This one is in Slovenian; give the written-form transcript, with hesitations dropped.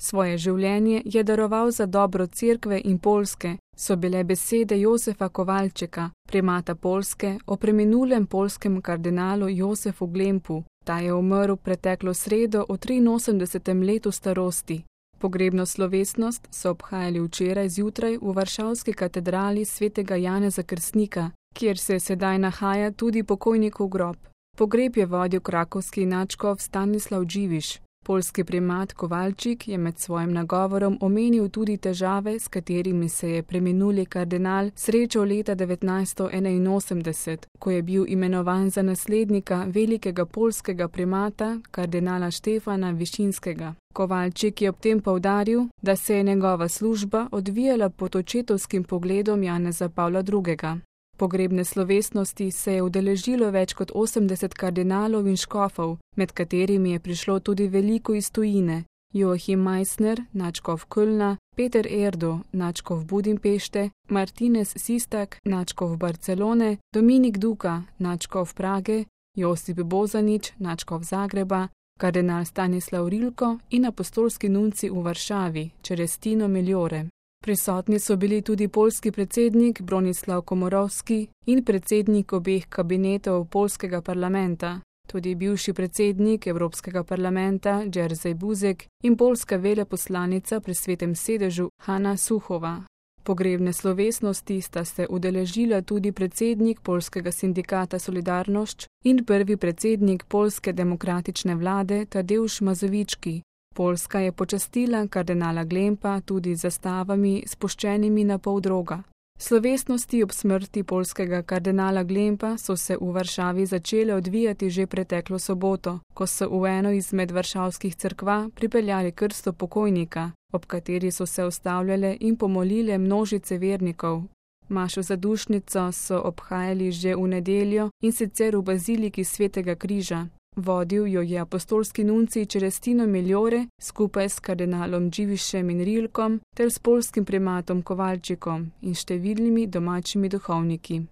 Svoje življenje je daroval za dobro cerkve in Poljske, so bile besede Jozefa Kovalčeka, primata Poljske, o preminulem poljskem kardinalu Jozefu Glempu. Ta je umrl preteklo sredo v 83. letu starosti. Pogrebno slovesnost so obhajali včeraj zjutraj v varšavski katedrali svetega Janeza Krstnika, kjer se sedaj nahaja tudi pokojnikov grob. Pogreb je vodil krakovski nadškof Stanislav Dživiš. Poljski primat Kovalčik je med svojim nagovorom omenil tudi težave, s katerimi se je preminuli kardinal srečal leta 1981, ko je bil imenovan za naslednika velikega poljskega primata, kardinala Štefana Višinskega. Kovalčik je ob tem poudaril, da se je njegova služba odvijala pod očetovskim pogledom Janeza Pavla II. Pogrebne slovesnosti se je udeležilo več kot 80 kardinalov in škofov, med katerimi je prišlo tudi veliko iz tujine: Joachim Meissner, nadškof Kölna, Peter Erdo, nadškof Budimpešte, Martinez Sistak, nadškof Barcelone, Dominik Duka, nadškof Prage, Josip Bozanič, nadškof Zagreba, kardinal Stanislav Rilko in apostolski nunci v Varšavi, Celestino Migliore. Prisotni so bili tudi poljski predsednik Bronislav Komorowski in predsednik obeh kabinetov poljskega parlamenta, tudi bivši predsednik Evropskega parlamenta Jerzy Buzek in poljska veleposlanica pri Svetem sedežu Hanna Suchova. Pogrebne slovesnosti sta se udeležila tudi predsednik poljskega sindikata Solidarnosc in prvi predsednik poljske demokratične vlade Tadeusz Mazowiecki. Poljska je počastila kardinala Glempa tudi z zastavami spuščenimi na pol droga. Slovesnosti ob smrti poljskega kardinala Glempa so se v Varšavi začele odvijati že preteklo soboto, ko so v eno izmed varšavskih cerkva pripeljali krsto pokojnika, ob kateri so se ustavljale in pomolile množice vernikov. Mašo za dušnico so obhajali že v nedeljo, in sicer v baziliki Svetega križa. Vodil jo je apostolski nuncij Celestino Migliore skupaj s kardinalom Dživišem in Rilkom ter s poljskim primatom Kovalčikom in številnimi domačimi duhovniki.